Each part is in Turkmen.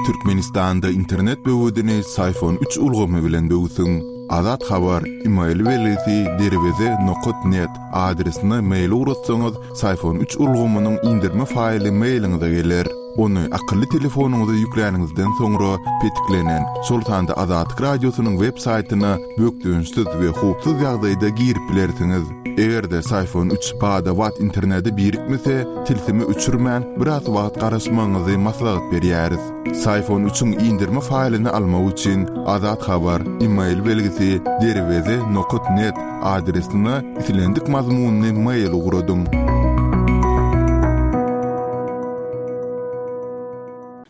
Türkmenistanda internet böwedini Syfon üç ulgamy bilen böwsüň. Azat Habar, email belgisi derweze nokat net adresine mail ugratsaňyz, Syfon üç ulgamynyň indirme faýly mailiňize geler. Ony akylly telefonyňyza ýükläniňizden soňra petiklenen, şol sanda Azatlyk Radiosynyň web saýtyna bökdençsiz we howpsuz ýagdaýda girip bilersiňiz. Eger-de Syfon üç bada-bat internete birikmese, tilsimi öçürmän, biraz wagt garaşmagyňyzy maslahat berýäris. Syfon üçiň indirme faýlyny almak üçin Azat Habar, email belgisi, derweze nokat net adresine islendik mazmunly mail ugradyň.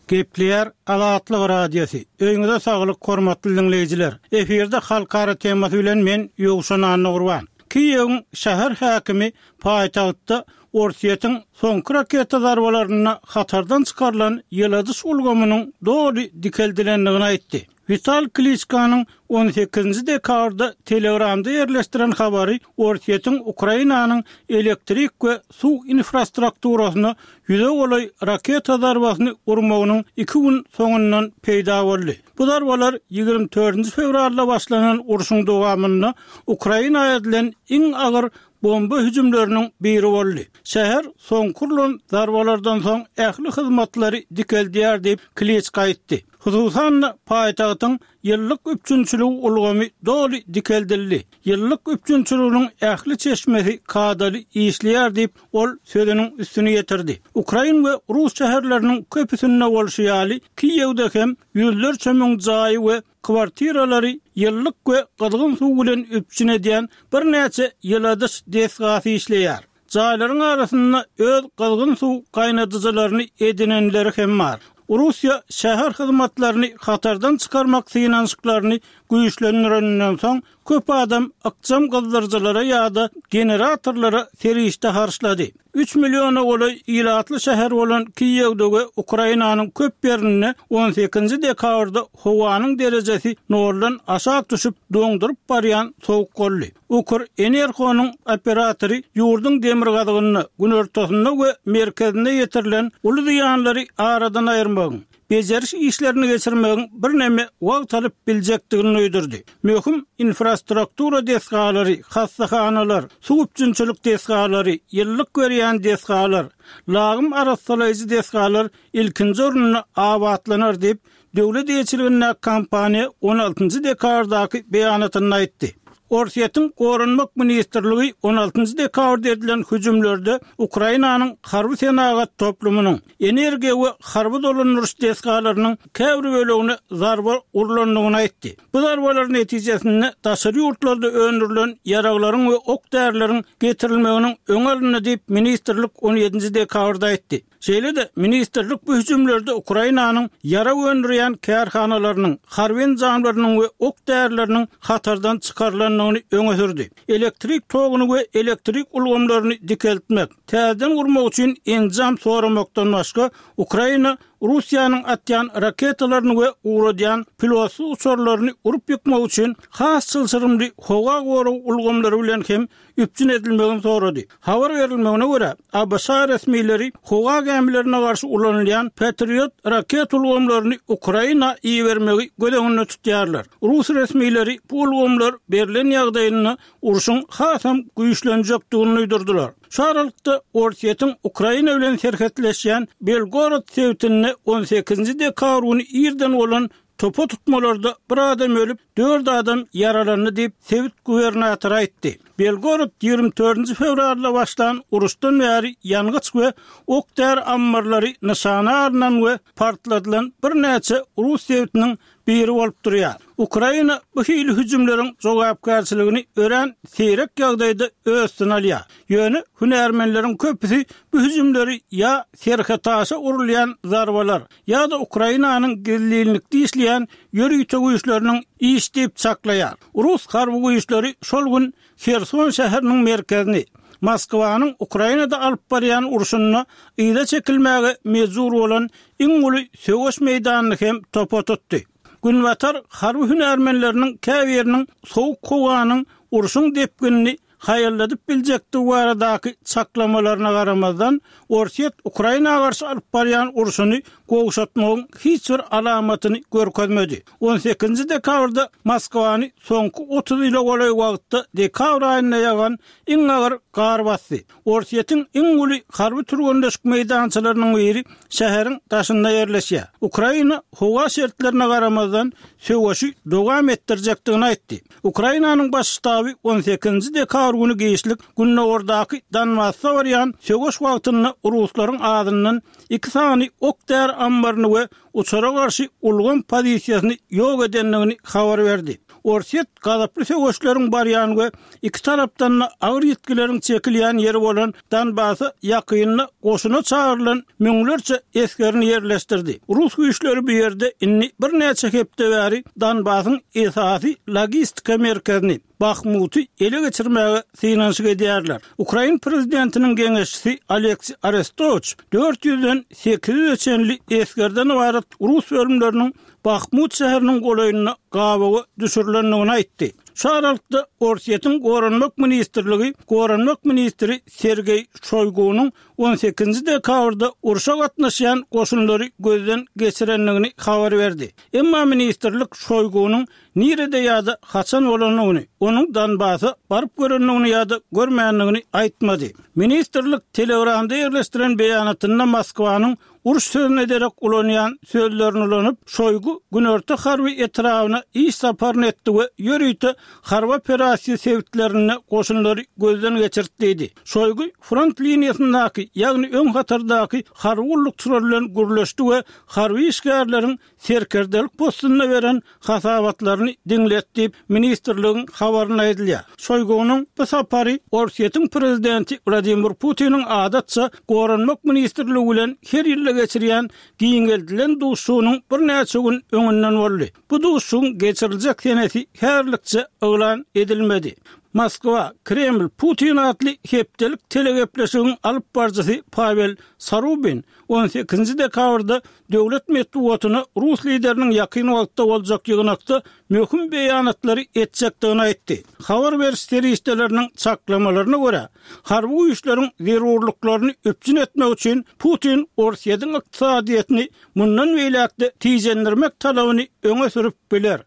Gepleýär Azatlyk Radiosy. Öýüňize saglyk hormatly diňleýjiler. Efirde halkara temasy bilen men Ýowşan Annagurban. Kiýewiň şäher häkimi paýtagtda Orsýetiň soňky raketa zarbalarynda hatardan çykarylan ýyladyş ulgamynyň doly dikeldilendigini aýtdy. Wital Kliçkanyň on sekizinji dekabrda Telegramda ýerleşdiren habary Orsýetiň Ukrainanyň elektrik we suw infrastrukturasyna ýüze golaý raketa zarbasyny urmagynyň iki gün soňundan peýda boldy. Bu zarbalar ýigrimi dördünji fewralda başlanan urşuň dowamynda Ukraina edilen iň agyr bomba hüjümleriniň biri boldy. Şäher soňky urlan zarbalardan soň ähli hyzmatlary dikeldýär diýip, Kliçka aýtdy. Hususan-da, paýtagtyň ýyllyk üpjünçiligi ulgamy doly dikeldildi. Ýyllyk üpjünçiliginiň ähli çeşmesi kadaly işleýär diýip, ol sözüniň üstüni ýetirdi. Ukrain we rus şäherleriniň köpüsinde bolşy ýaly, Kiýewde hem ýüzlerçe müň jaýy we kwartiralary ýyllyk we gyzgyn suw bilen üpjün edýän birnäçe ýyladyş desgasy işleýär. Jaýlaryň arasynda öz gyzgyn suw gaýnadyjylaryny edinenleri hem bar. Russiýa şäher hyzmatlaryny hatardan çykarmak synanyşyklaryny güýçlendireninden soň, köp adam ykjam gyzdyryjylara ýa-da generatorlara serişde harçlady. Üç milliona golaý ilatly şäher bolan Kiýewde we Ukrainanyň köp ýerinde on sekizinji dekabrda howanyň derejesi noldan aşak düşüp, doňduryp barýan sowuk boldy. Ukrenergonyň operatory ýurduň demirgazygynda, günortasynda we merkezinde ýetirilen uly zyýanlary aradan aýyrmagyň, bejeriş işlerini geçirmegiň birneme wagt alyp biljekdigini duýdurdy. Möhüm infrastruktura desgalary, hassahanalar, suw üpjünçilik desgalary, ýylylyk berýän desgalar, lagym arassalaýjy desgalar ilkinji orunda abatlanar diýip, döwlet eýeçiligindäki kompaniýa on altynjy dekabrdaky beýanatynda aýtdy. Orsýetiň Goranmak ministrligi on altynjy dekabrda edilen hüjümlerde Ukrainanyň harby-senagat toplumynyň, energiýa we harby dolandyryş desgalarynyň käbir bölegine zarba urlandygyny aýtdy. Bu zarbalar netijesinde daşary ýurtlarda öndürilen ýaraglaryň we ok-därileriň getirilmeginiň öňi alyndy diýip, ministrlik on ýedinji dekabrda aýtdy. Şeýle-de, ministrlik bu hüjümlerde Ukrainanyň ýarag öndürýän kärhanalarynyň, harby enjamlarynyň we ok-därileriniň hatardan çykarylandygyny öňe sürdi. Elektrik toguny we elektrik ulgamlaryny dikeltmek, täzeden gurmak üçin enjam soramakdan başga, Ukraina Russiýanyň atýan raketalaryny we ugradýan pilotsyz uçarlaryny urup ýykmak üçin has çylşyrymly howa gorag ulgamlary bilen hem üpjün edilmegini sorady. Habar berilmegine görä, ABŞ resmileri howa gämilerine garşy ulanylýan Patriot raketa ulgamlaryny Ukraina ibermegi göz öňünde tutýarlar. Rus resmileri bu ulgamlar berlen ýagdaýynda urşuň hasam güýçlenjekdigini duýdurdylar. Şu aralykda, Orsýetiň Ukraina bilen serhetleşýän Belgorod sebitinde on sekizinji dekabr güni irden bolan Topa tutmalarda bir adam ölüp, dört adam ýaralandy diýip, sebit gubernatory aýtdy. Belgorod ýigrimi dördünji fewralda başlan uruşdan bäri ýangyç we ok-däri ammarlary nyşana alnan we partladylan birnäçe rus sebitiniň biri bolup durýar. Ukraina bu hili hüjümleriň jogapkärçiligini örän seýrek ýagdaýda öz üstüne alýar. Ýöne hünärmenleriň köpüsi bu hüjümleri ýa serhetaşa urulýan zarbalar, ýa-da Ukrainanyň gizlinlikde işleýän ýörite güýçleriniň işi diýip çaklaýar. Rus harby güýçleri şol gün Herson şäheriniň merkezini, Moskwanyň Ukrainada alyp barýan urşunda yza çekilmäge mejbur bolan iň uly söweş meýdanyny hem topa tutdy. Günbatar harby hünärmenleriniň käbiriniň sowuk howanyň urşuň depginini. haýalladyp biljekdigi baradaky çaklamalaryna garamazdan, Orsýet Ukraina garşy alyp barýan urşuny gowşatmagyň hiç bir alamatyny görkezmedi. On sekizinji dekabrda Moskwany soňky 30 ýyla golaý wagtda dekabr aýynda ýagan iň agyr gar basdy. Orsýetiň iň uly harby türgenleşik meýdançalarynyň biri şäheriň daşynda ýerleşýär. Ukraina howa şertlerine garamazdan, söweşi dowam etdirjekdigini aýtdy. Ukrainanyň Baş ştaby on sekizinji dekabr güni giçlik gündogardaky Donbasda barýan söweş wagtynda ruslaryň azyndan iki sany ok-däri ammaryny we uçara garşy ulgam pozisiýasyny ýok edendigini habar berdi. Orsýet gazaply söweşleriň barýan we iki tarapdan-da agyr ýitgileriň çekilýän ýeri bolan Donbasa ýakynda goşuna çagyrylan müňlerçe esgerini ýerleşdirdi. Rus güýçleri bu ýerde indi birnäçe hepde bäri Donbasyň esasy logistika merkezini, Bahmuty ele geçirmäge synanyşyk edýärler. Ukrain prezidentiniň geňeşçisi Oleksiý Arestowiç dört ýüzden 800-e çenli esgerden ybarat rus bölümleriniň Bahmut şäheriniň golaýynda gabawa düşürilendigini aýtdy. Şu aralykda, Orsýetiň Goranmak ministrligi goranmak ministri Sergeý Şoýgunyň on sekizinji dekabrda urşa gatnaşýan goşunlary gözden geçirendigini habar berdi. Emma ministrlik Şoýgunyň nirede ýa-da haçan bolandygyny, onuň Donbasa baryp görendigini ýa-da görmändigini aýtmady. Ministrlik Telegramda ýerleşdiren beýanatynda Moskwanyň uruş sözüne derek ulanýan sözlerini ulanyp, Şoýgu Günorta harby etrabyna iş saparyny etdi we ýörite harby operasiýa sebitlerinde goşunlary gözden geçirdi diýdi. Şoýgu front liniýasyndaky, ýagny öň hatardaky harby gullukçylar bilen gürleşdi we harby işgärleriň serkerdelik postunda beren hasabatlaryny diňledi diýip, ministrligiň habarynda aýdylýar. Şoýgunyň bu sapary Orsýetiň prezidenti Wladimir Putiniň adatça Goranmak ministrligi bilen her ýylda geçirýän giňeldilen duşuşygynyň birnäçe gün öňünden boldy. Bu duşuşygyň geçiriljek senesi häzirlikçe yglan edilmedi. Moskwa, Kreml, Putin atly hepdelik telegepleşigiň alyp baryjysy Pawel Sarubin on sekizinji dekabrda döwlet metbugatyna rus lideriniň ýakyn wagtda boljak ýygnakda möhüm beýanatlary etjekdigini aýtdy. Habar beriş serişdeleriniň çaklamalaryna görä, harby güýçleriň zerurlyklaryny üpjün etmek üçin Putin Orsýetiň ykdysadyýetini mundan beýläk-de tijendirmek talabyny öňe sürüp biler.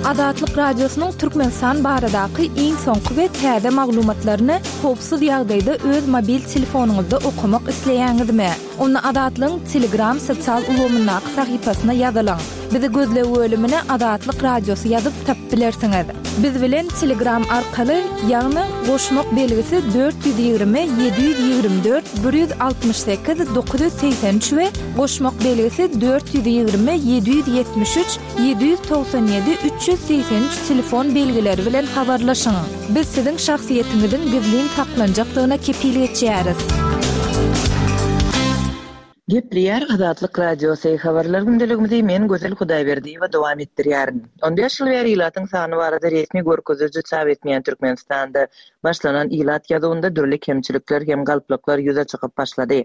Azatlyk Radiosynyň Türkmenistan baradaky iň soňky we täze maglumatlaryny howpsuz ýagdaýda öz mobil telefonyňyzda okamak isleýäňizmi? Onda Azatlygyň Telegram sosial ulgamyndaky sahypasyna ýazylyň. Bizi gözleg bölümine Azatlyk Radiosy ýazyp tapyp bilersiňiz. Biz bilen Telegram arkaly, ýagny goşmak belgisi 420 724 168 983 we Goşmak belgisi 420 773 797 383 telefon belgileri bilen habarlaşyň. Biz siziň şahsyýetiňiziň gizlin saklanjakdygyna kepil geçýäris. Gepleýär Azatlyk Radiosy, Habarlar gündeligimizi men Gözel Hudaýberdiýewa dowam etdirýärin. On bäş ýyl bäri ilatyň sany barada resmi görkeziji çap etmeýän Türkmenistanda başlanan ilat ýazuwynda dürli kemçilikler hem galplyklar ýüze çykyp başlady.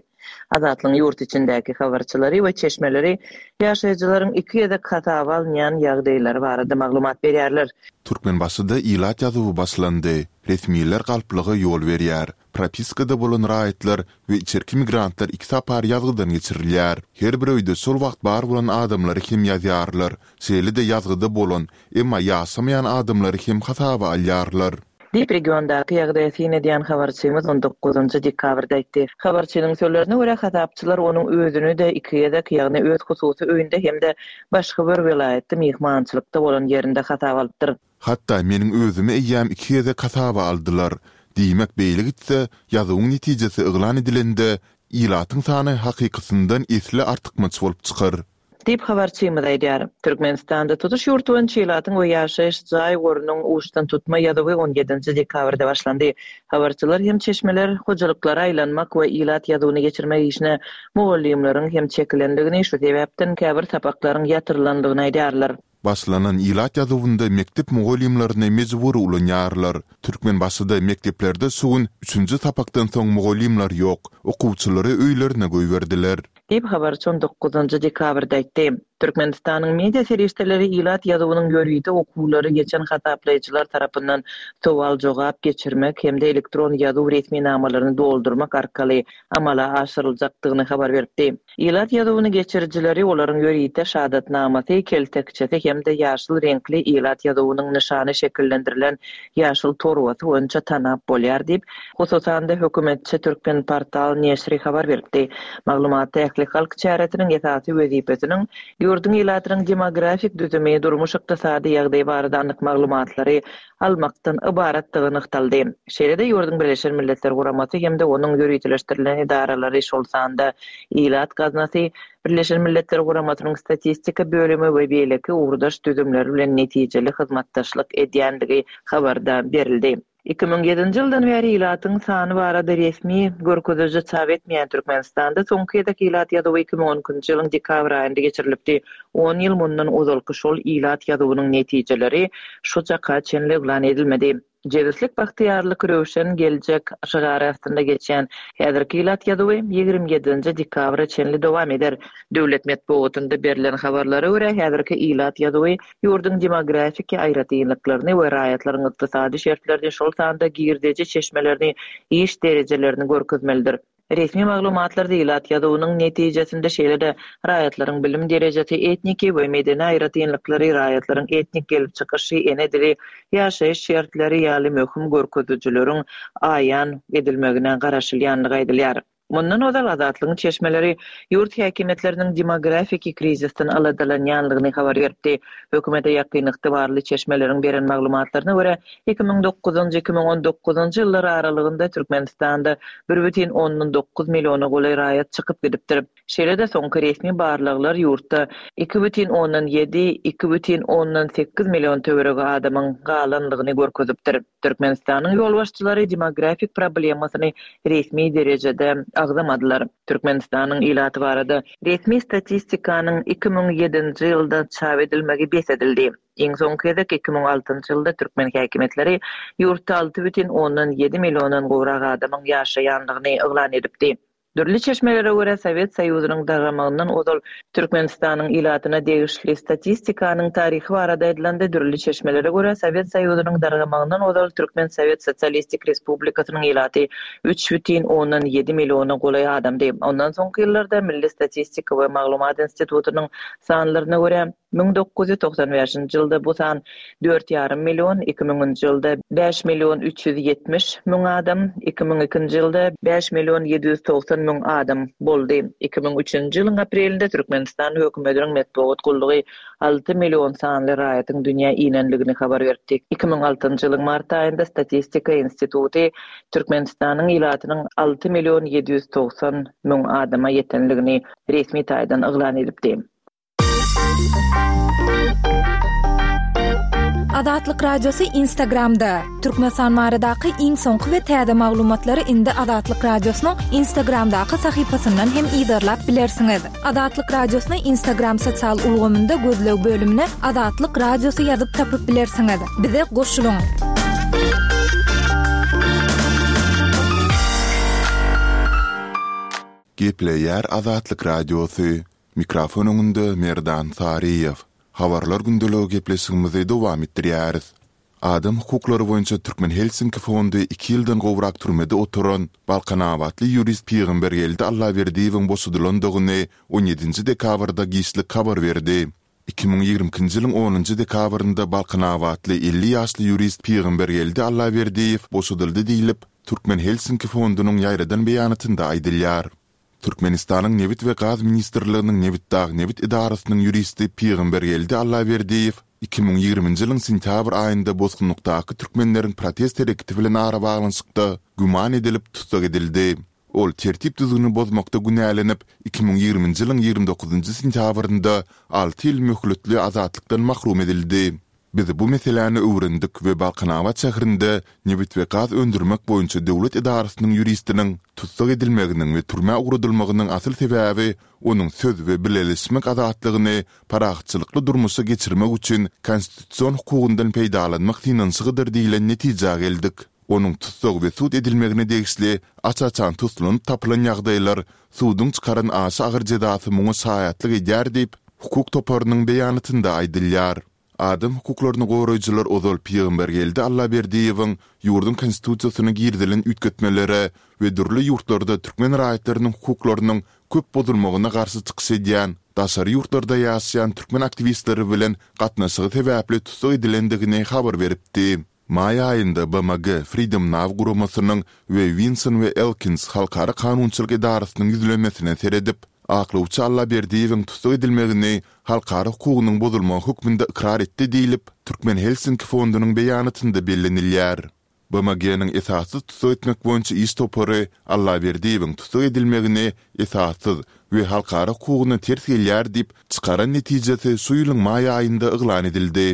Azatlygyň ýurt içindäki habarçylary we çeşmeleri ýaşaýjylaryň iki gezek hasaba alynýan ýagdaýlary barada maglumat berýärler. Türkmenbaşyda ilat ýazuwy başlandy. Resmiler galplyga ýol berýär. Propiskada bolan raýatlar we içerki migrantlar iki sapar ýazgydan geçirilýär. Her bir öýde şol wagt bar bolan adamlary hem ýazýarlar. Şeýle-de ýazgyda bolan, emma ýaşamaýan adamlary hem hasaba alýarlar. Diýip, regiondaky ýagdaýa syn edýän habarçymyz on dokuzynjy dekabrda aýtdy. Habarçynyň sözlerine görä, hasapçylar onuň özüni-de iki gezek, ýagny öz hususy öýünde hem-de başga bir welaýatda myhmançylykda bolan ýerinde hasaba alypdyr. Hatda meniň özümi eýýäm iki gezek hasaba aldylar. Diýmek, beýle gitse, ýazuwyň netijesi yglan edilende, ilatyň sany hakykysyndan esli artykmaç bolup çykar. Diýip, habarçymyz aýdýar. Türkmenistanda tutuş ýurt boýunça ilatyň we ýaşaýyş jaý gorunyň uçdan-tutma ýazuwy on ýedinji dekabrda başlandy. Habarçylar hem çeşmeler hojalyklara aýlanmak we ilat ýazuwyny geçirmek işine mugallymlaryň hem çekilendigini, şu sebäpden käbir sapaklaryň ýatyrylandygyny aýdýarlar. Başlanan ilat ýazuwynda mekdep mugallymlaryny mejbury ulanýarlar. Türkmenbaşyda mekdeplerde şu gün üçünji sapakdan soň mugallymlar ýok, okuwçylary öýlerine goýberdiler. Diýip, habarçy on dokuzynjy dekabrda aýtdy. Türkmenistanyň media serişdeleri ilat ýazuwynyň ýörite okuwlary geçen hasaplaýjylar tarapyndan sowal-jogap geçirmek hem-de elektron ýazuw resminamalaryny doldurmak arkaly amala aşyryljakdygyny habar beripdi. Ilat ýazuwyny geçirijileri olaryň ýörite şahadatnamasy, keltekçesi hem-de ýaşyl reňkli ilat ýazuwynyň nyşany şekillendirilen ýaşyl torbasy boýunça tanap bolýar diýip, hususan-da, hökümetçi Türkmenportal neşiri habar beripdi. Maglumatda ählihalk çäresiniň esasy wezipesiniň ýurduň ilatynyň demografik düzümi, durmuş-ykdysady ýagdaýy barada anyk maglumatlary almakdan ybaratdygy nygtaldy. Şeýle-de ýurduň Birleşen Milletler Guramasy hem-de onuň ýöriteleşdirilen edaralary, şol sanda Ilat gaznasy, Birleşen Milletler Guramasynyň Statistika bölümi we beýleki ugurdaş düzümleri bilen netijeli hyzmatdaşlyk edýändigi habarda berildi. 2007-nji ýyldan bäri ilatyň sany barada resmi görkeziji çap etmeýän Türkmenistanda soňky gezek ilat ýazuwy 2012-nji ýylyň dekabr aýynda geçirilipdi. On ýyl mundan ozalky şol ilat ýazuwynyň netijeleri şu çaka çenli yglan edilmedi. Jebislik, bagtyýarlyk, röwşen geljek şygary astynda geçýän häzirki ilat ýazuwy 27-nji dekabra çenli dowam eder. Döwlet metbugatynda berlen habarlara görä, häzirki ilat ýazuwy ýurduň demografiki aýratynlyklaryny we raýatlaryň ykdysady şertlerini, şol sanda girdeji çeşmelerini, iş derejelerini görkezmelidir. Resmi maglumatlarda ilat ýazuwynyň netijesinde şeýle-de raýatlaryň bilim derejesi, etniki we medeni aýratynlyklary, raýatlaryň etnik gelip çykyşy, ene dili, ýaşaýyş şertleri ýaly möhüm görkezijileriň aýan edilmegine garaşylýandygy aýdylýar. Mundan ozal Azatlygyň çeşmeleri ýurt häkimiýetleriniň demografiki krizisden aladalanýandygyny habar beripdi. Hökümete ýakyn ygtybarly çeşmeleriň beren maglumatlaryna görä, 2009-njy, 2019-njy ýyllar aralygynda Türkmenistanda bir bütin ondan dokuz milliona golaý raýat çykyp gidipdir. Şeýle-de soňky resmi barlaglar ýurtda iki bütin ondan ýedi, iki bütin ondan sekiz million töweregi adamyň galanlygyny görkezipdir. Türkmenistanyň ýolbaşçylary demografik problemasyny resmi derejede agzamadylar. Türkmenistanyň ilaty barada resmi statistikanyň 2007-nji ýylda çap edilmegi bes edildi. Iň soňky gezek 2006-njy ýylda türkmen häkimiýetleri ýurtda 6,7 milliondan gowrak adamyň ýaşaýandygyny yglan edipdi. Dürli çeşmelere görä, Sowet Soýuzynyň dargamagyndan ozal Türkmenistanyň ilatyna degişli statistikanyň taryhy barada aýdylanda, dürli çeşmelere görä, Sowet Soýuzynyň dargamagyndan ozal Türkmen Sowet Sosialistik Respublikasynyň ilaty 3,7 milliona golaý adamdy. Ondan soňky ýyllarda Milli statistika we maglumat institutynyň sanlaryna görä, 1995-nji ýylda bu san dört ýarym million, iki müňünji ýylda bäş million 370 müň adam, 2002-nji ýylda bäş million 790 müň adam boldy. 2003-nji ýylyň aprelinde Türkmenistan hökümetiniň metbugat gullugy alty million sanly raýatyň dünýä inendigini habar beripdi. 2006-njy ýylyň mart aýynda Statistika instituty Türkmenistanyň ilatynyň alty million 790 müň adama ýetendigini resmi taýdan yglan edipdi. Azatlyk Radiosy Instagramda, Türkmenistan baradaky iň soňky we täze maglumatlary indi Azatlyk Radiosynyň Instagramdaky sahypasyndan hem yzarlap bilersiňiz. Azatlyk Radiosyny Instagram sosial ulgamynda gözleg bölümine Azatlyk Radiosy ýazyp tapyp bilersiňiz. Bize goşulyň! Gepleýär Azatlyk Radiosy, Mikrofon öňünde Merdan Saryýew. Habarlar gündeligi gepleşigimizi dowam etdirýäris. Adam hukuklary boýunça Türkmen Helsinki fondy iki ýyldan gowrak türmede oturan balkanabatly ýurist Pygambergeldi Allaberdiýewiň boşadylandygyny on ýedinji dekabrda giçlik habar berdi. 2022-nji ýylyň onunjy dekabrynda balkanabatly 50 ýaşly ýurist Pygambergeldi Allaberdiýew boşadyldy diýlip, Türkmen Helsinki fondunyň ýaýradan beýanatynda aýdylýar. Türkmenistanyň Nebit we gaz ministrliginiň Nebitdagnebit edarasynyň ýuristi Pygambergeldi Allaberdiýew 2020-nji ýylyň sentýabr aýynda bosgunlykdaky türkmenleriň protest hereketi bilen arabaglanyşykda güman edilip tussag edildi. Ol tertip-düzgüni bozmakda günälenip, 2020-nji ýylyň 29-njy sentýabrynda alty ýyl möhletli azatlykdan mahrum edildi. Biz bu meseläni öwrendik we Balkanabat şäherinde nebit we gaz öndürmek boýunça döwlet edarasynyň ýuristiniň tussag edilmeginiň we türmä ugradylmagynyň asyl sebäbi onuň söz we bileleşmek azatlygyny parahatçylykly durmuşa geçirmek üçin konstitusion hukugyndan peýdalanmak synanyşygydyr diýlen netijä geldik. Onuň tussag we sud edilmegine degişli aç-açan toslanyp tapylan ýagdaýlar suduň çykaran aşa agyr jezasy muňa şaýatlyk edýär diýip, hukuk toparynyň beýanatynda aýdylýar. Adam hukuklaryny goraýjylar ozal Pygambergeldi Allaberdiýewiň ýurduň Konstitusiýasyna girizilen üýtgetmelere we dürli ýurtlarda türkmen raýatlarynyň hukuklarynyň köp bozulmagyna garşy çykyş edýän daşary ýurtlarda ýaşaýan türkmen aktiwistleri bilen gatnaşygy sebäpli tussag edilendigini habar beripdi. Maý aýynda BMG Freedom Now guramasynyň we Winson we Elkins halkara kanunçylyk edarasynyň ýüzlenmesine seredip, aklawçy Allaberdiýewiň tussag edilmegini halkara hukugynyň bozulmagy hökmünde ykrar etdi diýlip, Türkmen Helsinki fondunyň beýanatynda bellenilýär. BMG-niň esassyz tussag etmek boýunça iş topary Allaberdiýewiň tussag edilmegini esassyz we halkara hukugyna ters gelýär diýip, çykaran netijesi şu ýylyň maý aýynda yglan edildi.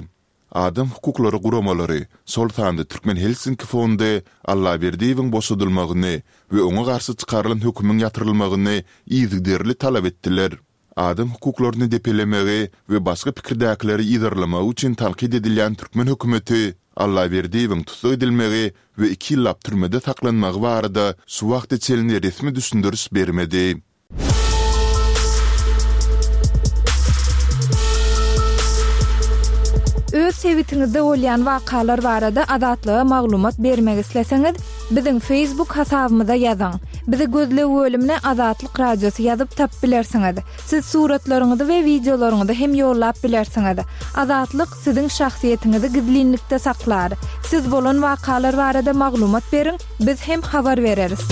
Adam hukuklary guramalary, şol sanda Türkmen Helsinki fondy Allaberdiýewiň boşadylmagyny we oňa garşy çykarylan hökümiň ýatyrylmagyny yzygiderli talap etdiler. Adam hukuklaryny depelemegi we başga pikirdäkileri yzarlamagy üçin tankyt edilýän türkmen hökümeti Allaberdiýewiň tussag edilmegi we iki ýyllap türmede saklanmagy barada şu wagta çenli resmi düşündiriş bermedi. Öz sebitiňizde bolýan wakalar barada Azatlyga maglumat bermek isleseňiz, biziň Facebook hasabymyza ýazyň. Bizi gözleg bölümine Azatlyk Radiosy ýazyp tapyp bilersiňiz. Siz suratlaryňyzy we wideolaryňyzy hem ýollap bilersiňiz. Azatlyk siziň şahsyýetiňizi gizlinlikde saklar. Siz bolan wakalar barada maglumat beriň, Biz hem habar bereris.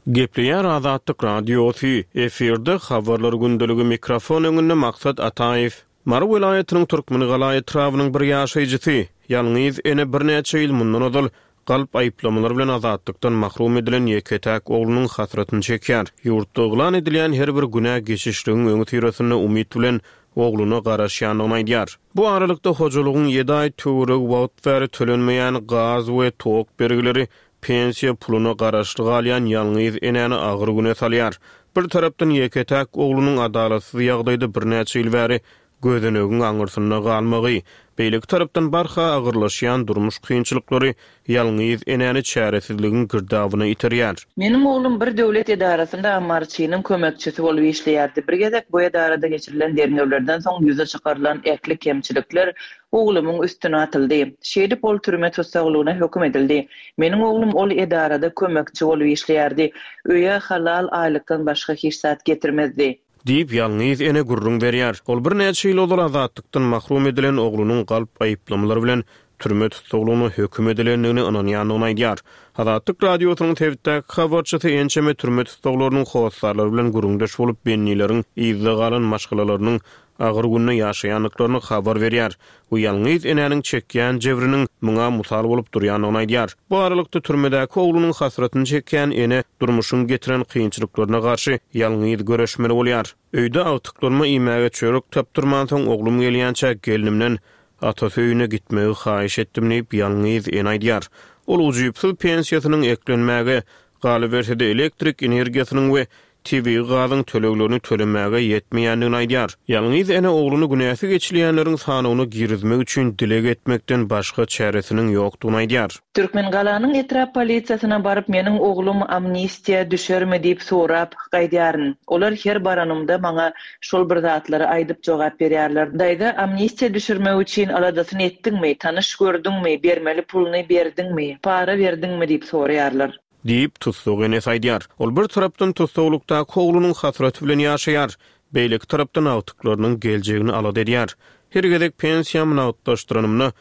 Gepleýär Azatlyk Radiosy, efirde Habarlar gündeligi mikrofon öňünde Maksat Ataýew. Mary welaýatynyň Türkmengala etrabynyň bir ýaşaýjysy, ýalňyz ene birnäçe ýyl mundan ozal galp aýyplamalar bilen azatlykdan mahrum edilen ýeke-täk oglunyň hasratyny çekýär. Ýurtda yglan edilýän her bir günä geçişligiň öňüsyrasynda umyt bilen ogluna garaşýandygyny aýdýar. Bu aralykda, hojalygyň ýedi aý töweregi wagt bäri tölenmeýän gaz we tok bergileri pensiýa puluna garaşly galýan ýalňyz enäni agyr güne salýar. Bir tarapdan ýeke-täk oglunyň adalatsyz ýagdaýda birnäçe ýyl bäri gözenegiň aňyrsynda galmagy, beýleki tarapdan barha agyrlaşýan durmuş kynçylyklary ýalňyz enäni çäresizligiň girdabyna iterýär. Meniň oglum bir döwlet edarasynda ammarçynyň kömekçisi bolup işleýärdi. Bir gezek bu edarada geçirilen derňewlerden soň ýüze çykarylan ähli kemçilikler oglumyň üstüne atyldy. Şeýdip ol türme tussaglygyna höküm edildi. Meniň oglum ol edarada kömekçi bolup işleýärdi. Öýe halal aýlykdan başga hiç zat getirmezdi. Diýip, ýalňyz ene gürrüň berýär. Ol birnäçe ýyl ozal azatlykdan mahrum edilen oglunyň galp aýyplamalar bilen türme tussaglygyna höküm edilendigine ynanýandygyny aýdýar. Azatlyk Radiosynyň sebitdäki habarçysy ençeme türme tussaglarynyň hossarlary bilen gürrüňdeş bolup, bendileriň yzda galan maşgalalarynyň agyr günde ýaşaýandyklaryny habar berýär we ýalňyz enäniň çekýän jebriniň muňa mysal bolup durýandygyny aýdýar. Bu aralykda, türmedäki oglunyň hasratyny çekýän ene durmuşyň getiren kynçylyklaryna garşy ýalňyz göreşmeli bolýar. Öýde agtyklaryma iýmäge çörek tapdyrmansoň, oglum gelýänçä gelnimden atasy öýüne gitmegi haýyş etdim diýip, ýalňyz ene aýdýar. Ol ujypsyz pensiýasynyň eklenmäge, galyberse-de elektrik energiýasynyň we tebigy gazyň töleglerini tölemäge ýetmeýändigini aýdýar. Ýalňyz ene ogluny günäsi geçilýänleriň sanawyna girizmek üçin dileg etmekden başga çäresiniň ýokdugyny aýdýar. Türkmengalanyň etrap polisiýasyna baryp meniň oglum amnistiýa düşermi diýip sorap gaýdýaryn. Olar her baranymda maňa şol bir zatlary aýdyp jogap berýärler. Daýza amnistiýa düşürmek üçin aladasyny etdiňmi, tanyş gördüňmi, bermeli puluny berdiňmi, para berdiňmi diýip soraýarlar. Diýip, tussag enesi aýdýar. Ol bir tarapdan tussaglykdaky oglunyň hasraty bilen ýaşaýar, beýleki tarapdan agtyklarynyň geljegini alada edýär. Her gezek pensiýamy nagtlaşdyranymda,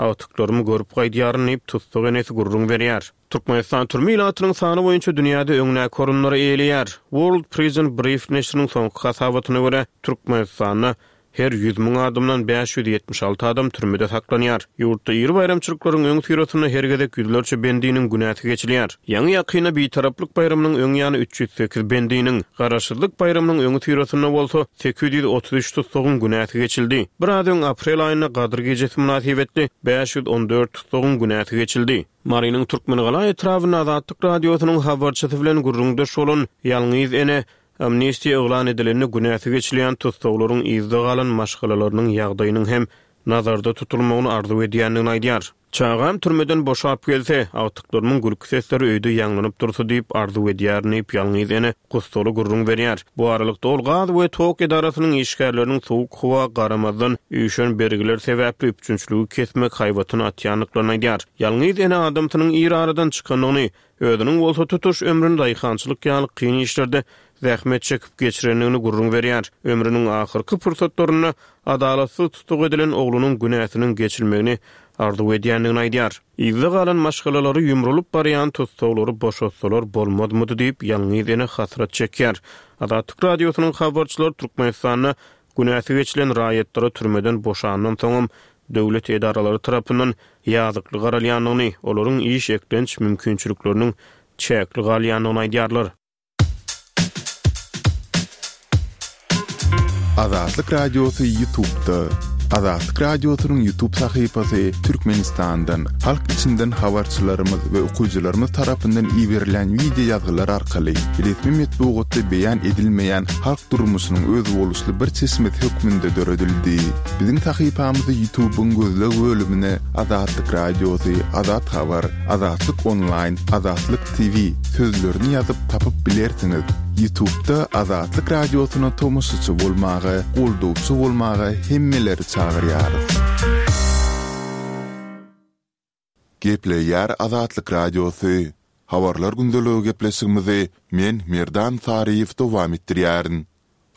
agtyklarymy görüp gaýdýaryn diýip, tussag enesi gürrüň berýär. Türkmenistan türme ilatynyň sany boýunça dünýäde öňdäki orunlary eýeleýär. World Prison Brief neşiriniň soňky hasabatyna görä, Türkmenistanda Her 100 müň adamdan 576 adam türmede saklanýar. Ýurtda iri baýramçylyklaryň öňüsyrasynda her gezek ýüzlerçe bendiniň günäsi geçilýär. Ýaňy-ýakynda Bitaraplyk baýramynyň öň ýany 308 bendiniň, Garaşsyzlyk baýramynyň öňüsyrasynda bolsa 833 tussagyň günäsi geçildi. Biraz öň aprel aýynda Gadyr gijesi mynasybetli 514 tussagyň günäsi geçildi. Marynyň Türkmengala etrabynda Azatlyk Radiosynyň habarçysy bilen gürrüňdeş bolan ýalňyz ene Amnistiýa yglan edilende günäsi geçilýän tussaglaryň yzda galan maşgalalarynyň ýagdaýynyň hem nazarda tutulmagyny arzuw edýändigini aýdýar. Çagam türmeden boşap gelse, agtyklarymyň gülki sesleri öýde ýaňlanyp dursa diýip arzuw edýärin diýip, ýalňyz ene gussaly gürrüň berýär. Bu aralykda ol gaz we tok edarasynyň işgärleriniň sowuk howa garamazdan, üýşen bergiler sebäpli üpjünçiligi kesmek haýbatyny atýandyklaryny aýdýar. Ýalňyz ene adamsynyň ir aradan çykandygyny, Özüniň bolsa tutuş ömrüni daýhançylyk ýaly kyn işlerde zähmet çekip geçirendigini gürrüň berýär. Ömrüniň ahyrky pursatlarynda adalatsyz tussag edilen oglunyň günäsiniň geçilmegini arzuw edýändigini aýdýar. Yzda galan maşgalalary ýumrulyp barýan tussaglary boşatsalar bolmazmydy diýip, ýalňyz ene hasrat çekýär. Azatlyk Radiosynyň habarçylary Türkmenistanda Günäsi geçilen raýatlara türmeden boşandan soňam döwlet edaralary tarapyndan ýazykly garalýandygyny, olaryň iş eklenç mümkinçilikleriniň çäkli galýandygyny aýdýarlar. Azatlyk Radiosy Ýutubda. Azatlyk Radiosynyň Ýutub sahypasy Türkmenistandan, halk içinden habarçylarymyz we okyjylarymyz tarapyndan iberilen wideo ýazgylar arkaly resmi metbugatda beýan edilmeýän halk durmuşynyň özboluşly bir çeşmesi hökmünde döredildi. Biziň sahypamyzy Ýutubyň gözleg bölümine Azatlyk Radiosy, Azat Habar, Azatlyk Onlaýn, Azatlyk TV sözlerini ýazyp tapyp bilersiňiz. Ýutubda Azatlyk Radiosyna tomaşaçy bolmaga, goldawçy bolmaga hemmeleri çagyrýarys. Gepleýär Azatlyk Radiosy. Habarlar gündeligi gepleşigimizi men, Merdan Saryýew dowam etdirýärin.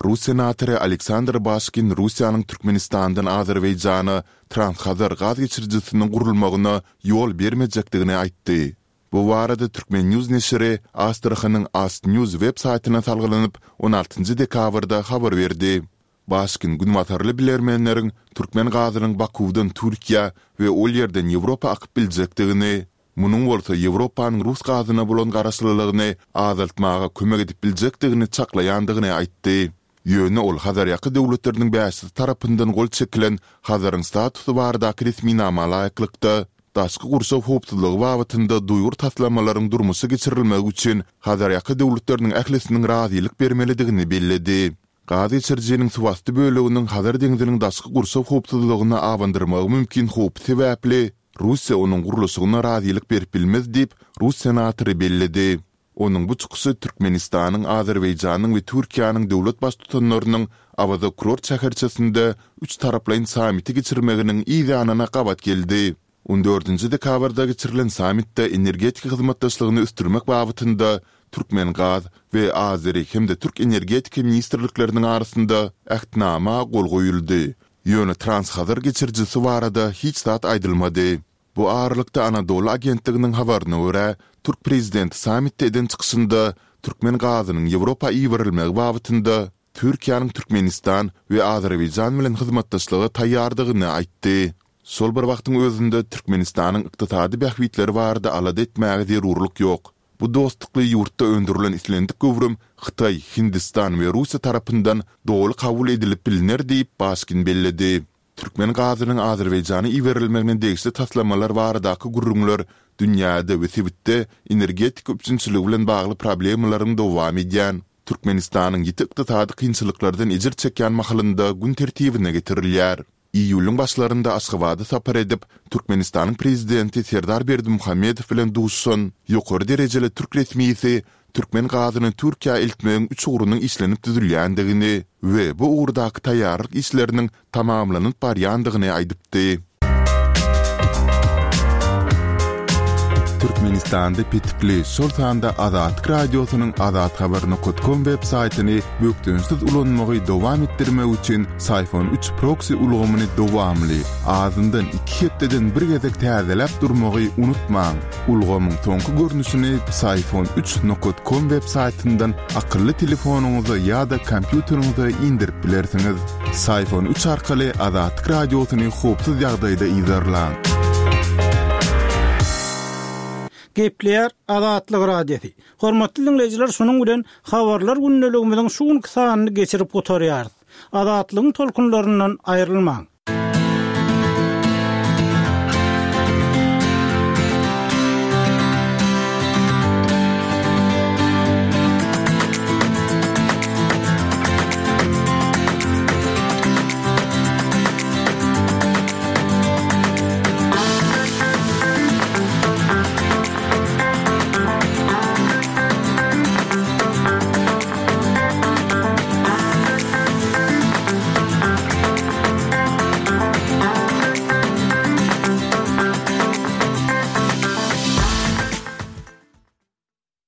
Rus senatory Aleksandr Başkin Russiýanyň Türkmenistandan Azerbaýjana Transhazar gaz geçirijisiniň gurulmagyna ýol bermejekdigini aýtdy. Bu barada Turkmen. News neşiri Astrahanyň Astnews web saýtyna salgylanyp, on altynjy dekabrda habar berdi. Başkin günbatarly bilermenleriň türkmen gazynyň Bakuwdan Türkiýä we ol ýerden Ýewropa akyp biljekdigini, munuň bolsa Ýewropanyň rus gazyna bolan garaşlylygyny azaltmaga kömek edip biljekdigini çaklaýandygyny aýtdy. Ýöne ol Hazarýaka döwletleriniň bäşisi tarapyndan gol çekilen Hazaryň statusy baradaky resminama laýyklykda, daşky gurşaw howpsuzlygy babatynda duýgur taslamalaryň durmuşa geçirilmegi üçin Hazarýaka döwletleriniň ählisiniň razylyk bermelidigini belledi. Gaz geçirijiniň suwasty böleginiň Hazar deňziniň daşky gurşaw howpsuzlygyna abandyrmagy mümkin howpy sebäpli, Russiýa onuň gurluşygyna razylyk berip bilmez diýip, rus senatory belledi. Onuň bu çykyşy Türkmenistanyň, Azerbaýjanyň we Türkiýäniň döwlet Baştutanlarynyň Awaza kurort şäherçesinde üçtaraplaýyn sammiti geçirmeginiň yz ýanyna gabat geldi. On dördünji dekabrda geçirilen sammitde energetika hyzmatdaşlygyny ösdürmek babatynda Türkmengaz we Azeri hem-de Türk Energetika ministrlikleriniň arasynda Ähtnama gol goýuldy. Ýöne Transhazar geçirijisi barada hiç zat aýdylmady. Bu aralykda Anadolu agentliginiň habaryna görä, türk prezidenti sammitde eden çykyşynda türkmen gazynyň Ýewropa iberilmegi babatynda Türkiýäniň Türkmenistan we Azerbaýjan bilen hyzmatdaşlyga taýýardygyny aýtdy. Şol bir wagtyň özünde Türkmenistanyň ykdysady bähbitleri barada alada etmäge zerurlyk ýok. Bu dostlukly ýurtda öndürilen islendik göwrüm Hytaý, Hindistan we Russiýa tarapyndan doly kabul edilip bilner diýip, Başkin belledi. Türkmen gazynyň Azerbaýjana iberilmegine degişli taslamalar baradaky gürrüňler dünýäde we sebitde energetika üpjünçiligi bilen bagly problemalaryň dowam edýän, Türkmenistanyň ýiti ykdysady kynçylyklardan ejir çekýän mahalynda gün tertibine getirilýär. Iýulyň başlarynda Aşgabada sapar edip, Türkmenistanyň Prezidenti Serdar Berdimuhamedow bilen duşuşan ýokary derejeli türk resmisi türkmen gazyny Türkiýä eltmegiň üç ugrunyň işlenip düzülýändigini we bu ugurdaky taýýarlyk işleriniň tamamlanyp barýandygyny aýdypdy. Türkmenistanda petikli, şol sanda Azatlyk Radiosynyň azathabar nokat kom web saýtyny bökdençsiz ulanmagy dowam etdirmek üçin Syfon üç proksi ulgamyny dowamly, azyndan iki hepdeden bir gezek täzeläp durmagy unutmaň. Ulgamyň soňky görnüşini Psiphon üç nokat kom web saýtyndan akylly telefonyňyza ýa-da kompýuteriňize indirip bilersiňiz. Psiphon üç arkaly Azatlyk Radiosyny howpsuz ýagdaýda yzarlaň. Gepleýär Azatlyk Radiosy. Hormatly diňleýjiler şunuň bilen Habarlar gündeligimiziň şu günki sanyny geçirip gutarýarys. Azatlygyň tolkunlaryndan aýrylmaň.